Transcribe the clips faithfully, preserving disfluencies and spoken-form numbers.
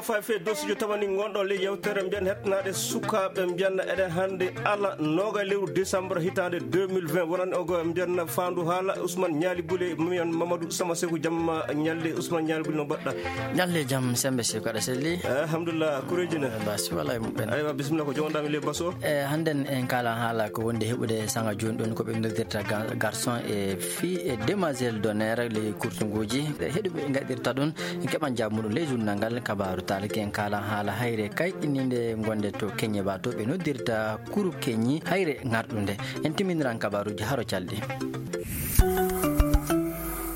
Fay fe dossier tamani ngonɗo le yewtere mbiyan hetnaade sukaaɓe mbiyan eɗen hannde ala nooga lewru décembre hitaande deux mille vingt. Wonani ogo mbiyan faandu haala Ousmane Ñaali Bule, mbiyan Mamadou Sama Seku. Jamma ñalle Ousmane Ñaali Bule, no mbaɗɗa? Ñalle jam, sembe Seku, aɗa selli? Eh, alhamdulillah, kureeji ne? Eh, basi wala e muɓɓen. Aywa, bisimilla, ko jogonɗami le baso. Eh, hannden en kalan haala ko wonde heɓude sanga jooni ɗon ko ɓe noddirta ga-, garçon e fii e demoiselle d'honneur, ley kurtunguuji. E heɗuɓe ngaɗirta ɗum, en keɓan jaabu muɗum ley journal ngal, kabaaru taalaki en kalan haala hayre kayɗininde gonde to Keñe ba, to ɓe noddirta kuru Keñi hayre ŋarɗunde. En timminiran kabaaruuji haro calɗi.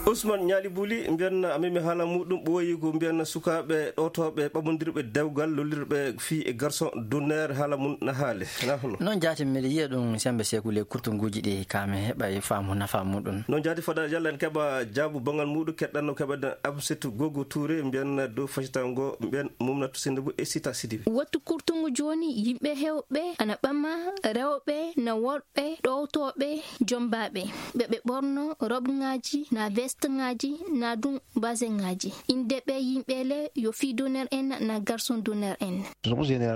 Ousmane Ñaali Buli, mbiyan a memi haala muɗum ɓooyi ko mbiyan sukaaɓe ɗowtooɓe ɓamondirɓe dewgal, lollirɓe fii e garçon d'honneur, haala mum na haale. Na hono? Noon jaati, mbiɗa yiya ɗum sembe Seku le kurtunguuji ɗi ka mi heɓa e faamu nafa muɗum. Noon jaati, fada yalla en keɓa jaabu bangal muɗum, keɗɗan no keɓa Amsetu Gogo Touré, mbiyan dow facitango, mbiyan Mumnatu Sinde bu e Sita Sidibe. Wattu kurtungu jooni, yimɓe heewɓe ana ɓama rewɓe na worɓe ɗowtooɓe jombaaɓe. Ɓe ɓe ɓorno robŋaaji, na vesteŋaaji, na ɗum baseŋaaji. Innde ɓe yimɓe le yo fii d'honneur en, na garçon d'honneur en.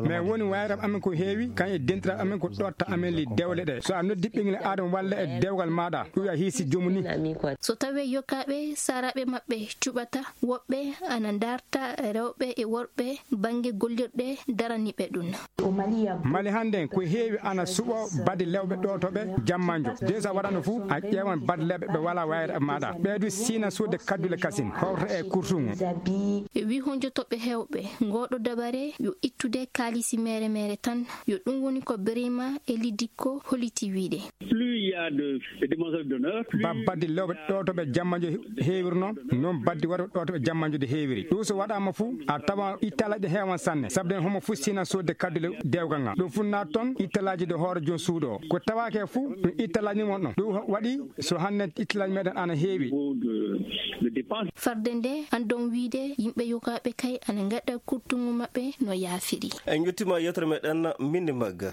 Mais woni wayraɓe amen ko heewi, kan e dentiraaɓe amen ko ɗotta amen li dewle ɗe. So a noddi ɓinngel aadama walla e dewgal maaɗa, ɗum ya hiisi joomum ni. So tawee yokaaɓe saaraaɓe maɓɓe cuɓata, woɓɓe ana ndaarta rewɓe e worɓe bannge gollirɗe daraniiɓe ɗum. Mali hannden ko heewi ana suɓo badi lewɓe ɗowtooɓe jammanjo. De so a waɗano fuu, a ƴeewan badi lewɓe ɓe walaa wayre e maaɗa. Ɓee du siina suuɗde kaddule kasin, howta e kurtungu. E wi honjotooɓe heewɓe, ngooɗo dabare yo ittude kaalisi mere mere tan, yo ɗum woni ko Birima e Lidikko holiti wiide. Plus il y a de, de demoiselles d'honneur, plus ba baddi lewɓe ɗowtooɓe jammanjo heewirno, noon baddi waɗo ɗowtooɓe jammanjo de heewiri. Ɗum so waɗaama fuu, a tawa ittalaaji heewan sanne, sabu den homo fuu siina soodde kaddule dewgal ngal. Ɗum fuu naat toon ittalaaji de hoore joom suudu o. Ko tawaake fuu, ɗum ittalaaji mon ɗon. Ɗum waɗi so hannde ittalaaji meɗen ana heewi. Farde nde, anndon wiide, yimɓe yogaaɓe kay ana ngaɗa kurtungu maɓɓe no yaafiri. En njettiima yewtere meɗen Mindi Mbagga.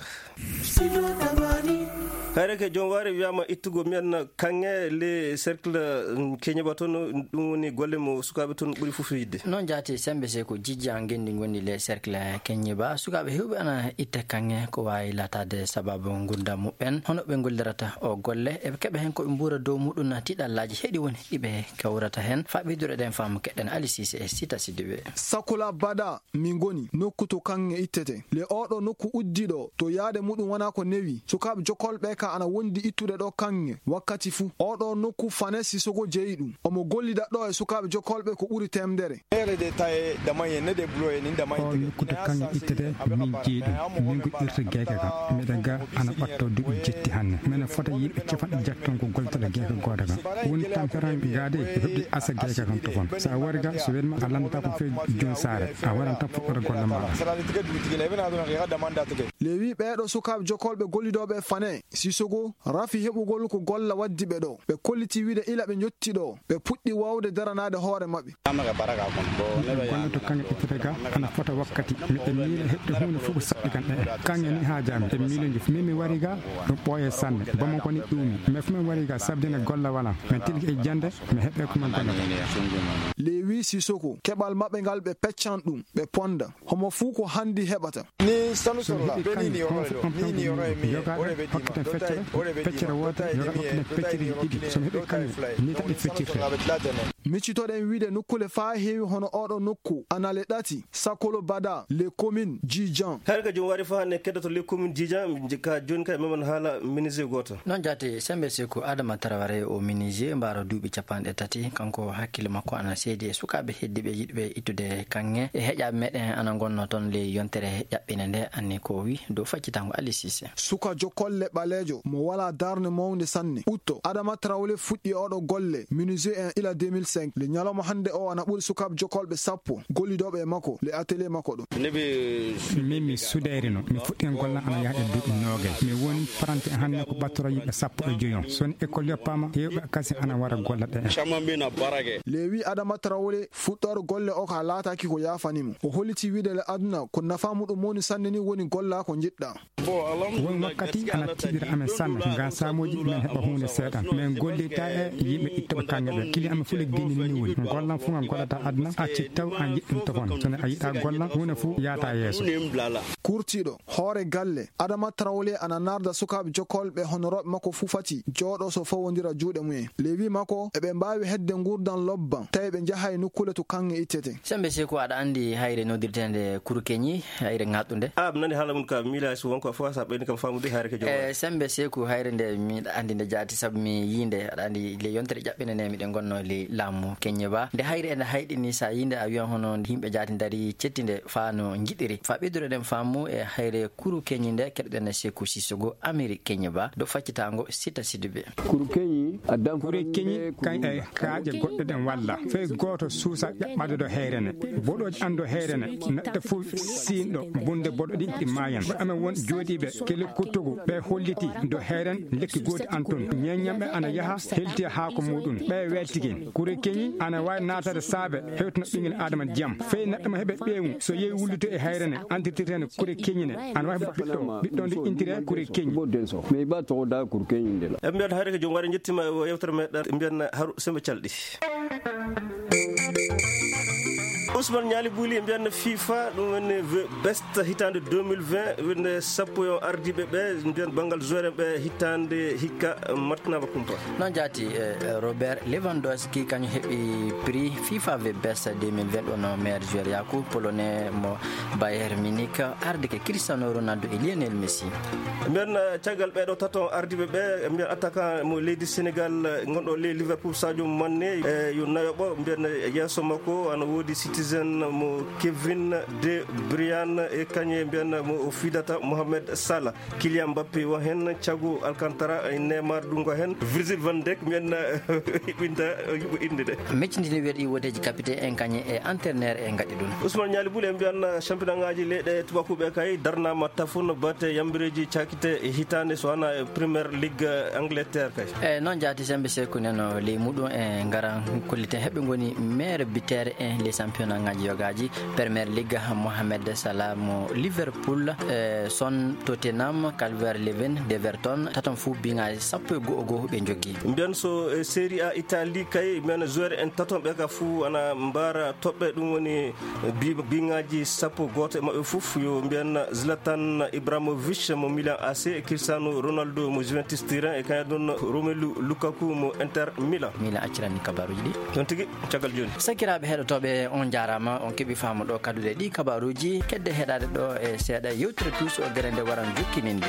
Hayre ke joom waare wiyaama ittugo mbiyan kaŋŋe le cercle, mm, Keñeba toon, ɗum woni golle mo sukaaɓe toon ɓuri fof yiɗde. Noon jaati sembe se ko jijja ngenndi ngonndi le cercle Keñeba. Sukaaɓe heewɓe ana itta kaŋŋe ko waawi laataade sababu ngurndan muɓɓen. Hono ɓe ngollirata o golle, eɓe keɓa heen ko ɓe mbuura dow muɗum na tiiɗallaaji heɗi woni ɗi ɓe kawrata heen. Faa ɓeyduɗo ɗen faamu keɗen Ali Sise e Sita Sidibe. Sakola Bada. Min ngoni nokku to kaŋŋe ittete. Le oɗo nokku uddi ɗo, to yaade muɗum wona ko newi. Sukaaɓe jokolɓe ka ana wondi ittude ɗo kaŋŋe wakkati fuu. Oɗo nokku Fane Sisoko jeyi ɗum. Omo gollida ɗo e sukaaɓe jokolɓe ko ɓuri temdere. O nokku to kaŋŋe ittete, min jeyi ɗum. Min ko irta gayka ka. Miɗa ga ana ɓatto duuɓi jetti hanne. Mene fota yimɓe capanɗe jetti toon ko goltata gayka gooto ka. Woni tamperan gaade, heɓde asa gayka kan tofon. Sa wari ga, so welma a landata ko fe jom saare. A waran tan fuɗɗoto golle maaɗa. Lewi ɓeeɗo sukaaɓe jokolɓe gollidoɓe Fane Sisoko rafi heɓugol ko golla waddi ɓe ɗo. Ɓe kolliti wiide ila ɓe njotti ɗo, ɓe puɗɗi wawde daranaade hoore maɓɓe. Golle to kaŋŋe ittete ga, ana fota wakkati. Miɗen miila heɓde huunde fof ko saɗɗi kan ɗe. Kaŋŋe ni haa jaami, en miiloji. Min mi wari ga, ɗum ɓooye sanne. Bamako ni ɗuumi. Mais fu min wari ga, sabdina golla wala. Min tilki e jande, mi heɓe ko min golla. Lewi Sisoko, keɓal maɓɓe ngal ɓe peccan ɗum, ɓe ponda. Homo fuu ko handi heɓata. So mi heɓi kaŋŋe, homo fof on tan ko yogaaɓe hokkiten feccere, feccere wootere, yogaaɓe hokkiten feccereeji ɗiɗi. So mi heɓi kaŋŋe, ni tan ɗi feccirte. Miccitoɗen wiide nokkule faa heewi hono oɗo nokku, anale ɗati, Sakolo Bada, les communes, Djidjan. Har ka jom wari faa ne keddoto les communes Djidjan, ka jooni kay memen haala menuisier gooto. Noon jaati, sembe se ko Adama Traoré o menuisier, mbaaro duuɓi capanɗe tati, kanko hakkille makko ana seedi e sukaaɓe heddiiɓe yiɗɓe ittude kaŋŋe. E heƴaaɓe meɗen ana ngonno toon ley yontere ƴaɓɓinde nde, anni ko wi dow faccitango Ali Sise. Suka jokolle ɓaleejo mo walaa darnde mawnde sanne. Utto, Adama Traoré fuɗɗi oɗo golle, menuisier en ila deux mille cinq. Le ñalawma hannde o ana ɓuri sukaaɓe jokolɓe sappo, gollidooɓe e makko, le atelier makko ɗo. Min mi sudeerino, mi fuɗɗi golla ana yahde duuɓi noogay. Mi woni paranti hannde ko ɓattoro yimɓe sappo e joyo. So woni école yoppaama, heewɓe kasi ana wara golla ɗe. Lewi Adama Traoré fuɗɗoore golle o ka laataaki ko yaafani mo. O holliti wiide le aduna ko nafa muɗum mawni sanne ni woni golla ko njiɗɗa. Won wakkati ana tiiɗira amen sanne, ngam saamooji men heɓa huunde seeɗan. Min gollirta e yimɓe ittuɓe kaŋŋe ɓe. Kili amen fuu le Min ni woni gollan fuu ngal gollata aduna, acci taw a yiɗɗum tofon. So ne a yiɗa gollan, huune fuu yaata yeeso. Kurtiiɗo hoore galle Adama Traoré ana narda sukaaɓe jokkolɓe honorooɓe makko fuu fati jooɗo so fawondira juuɗe mumen. Ley wii makko, eɓe mbaawi hedde nguurdan lobban, tawi ɓe njahay nokkuule to kaŋŋe ittete. Sembe Seeku, aɗa anndi hayre noddirteende Kurukeñi, hayre ŋaaɗɗunde? A, mi nani haala mum ka, mi miila so wonko fof sa ɓeyni kam faamude hayre ke joom. E, Sembe Seeku, hayre nde miɗa anndi nde jaati, sabu mi yii nde, aɗa anndi le yontere ƴaɓɓende nde miɗen ngonno le laamu Keñe ba. Nde hayre ene hayɗini, sa yii nde a wiyan hono yimɓe jaati ndari cettinde faa no njiɗiri. Faa ɓeyduɗen faamu e hayre Kurukeñi nde, keɗoɗen Seeku Sissoko, Amérique Keñe ba, do faccitaango Sita Sidibé. Kurukeñi, kañ e kaaƴe goɗɗe ɗen walla. Fay gooto suusa ƴaɓɓaade do heerene. Boɗooji an do heerene. Neɗɗo fof siinɗo bunde boɗo ɗin ɗi maayan. Ko amen won jooɗiiɓe kele kuttugu ɓe holliti do heeren lekki gooti an tun. Ñeeññamɓe ana yaha helti haako muɗum. Ɓe weltigen. Kurukeñi ana waawi naatade saabe hewtino ɓingel Adama jam. Fay neɗɗo mo heɓe ɓeewu so yehi wulluto e heerene andirtirtene Kurukeñi ne. Ana waawi heɓude ɓiɗɗo. Ɓiɗɗo ndu intire Kurukeñi. Mais ba to da Kurukeñi ndela. E mbiyan hayre ko joom ware jettima e o yewtere meɗen mbiyan haru sembe calɗi. Ousmane Ñaali Buuli, mbiyan FIFA, ɗum woni ve-, best hitaande deux mille vingt, wonde sappo e on ardiiɓe ɓe, mbiyan banngal joueur en ɓe hitaande hikka matnama kumpa. Noon jaati, e, e, Robert Lewandowski, kañum heɓi prix FIFA ve-, best deux mille vingt, ɗo no meilleur joueur yaaku, Polonais mo Bayern Munich, arde ke Cristiano Ronaldo e Lionel Messi. Mbiyan, e, caggal ɓeɗo tato ardiiɓe ɓe, mbiyan attaquant mo leydi Sénégal, e, gonɗo ley Liverpool, Sadio Mané, e, yo nayoɓo, mbiyan yeeso makko ana woodi Citizen mo Kevin De Bruyne e kañe mbiyan mo o fidata Mohamed Salah. Kylian Mbappé won heen, Thiago Alcantara, e Neymar ɗum ko heen, Virgil van Dijk mbiyan hiɓɓinta yuɓɓo innde de. Meccindini weɗi woteeji capitaine en kañe e entraîneur e ngaɗi ɗum. Ousmane Ñaali Buuli, en mbiyan championnat ngaji leyɗe tubakuɓe kay darnama tafun bate yambireeji cakite e hitaande so wona e Premier League Angleterre kay. E noon jaati sembe Seeku neno ley muɗum e ngaran kolliten heɓe ngoni meilleur buteur en les championnat ngaji yogaaji. Premier League, Mohamed Salah mo Liverpool, e Son Tottenham, Calvert Lewin, Deverton, taton fuu biŋaaji sappo e go'o go'o ɓe njogii. Mbiyan so e Serie A Italie kay, mbiyan joueur en taton ɓe ka fuu ana mbaara toɓɓe, ɗum woni bi-, biŋaaji sappo gooto e maɓɓe fof, yo mbiyan Zlatan Ibrahimovic mo Milan A C, Cristiano Ronaldo mo Juventus Turin, e kañum ɗon Romelu Lukaku mo Inter Milan. Milan accirani kabaruuji ɗi. Ɗon tigi. Caggal jooni. Sakiraaɓe heɗotooɓe, on njaaraama, on keɓi faamu ɗo kadduɗe ɗi kabaruuji. Kedde heɗaade ɗo e seeɗa yewtere Tuus o gere nde waran jokkininde.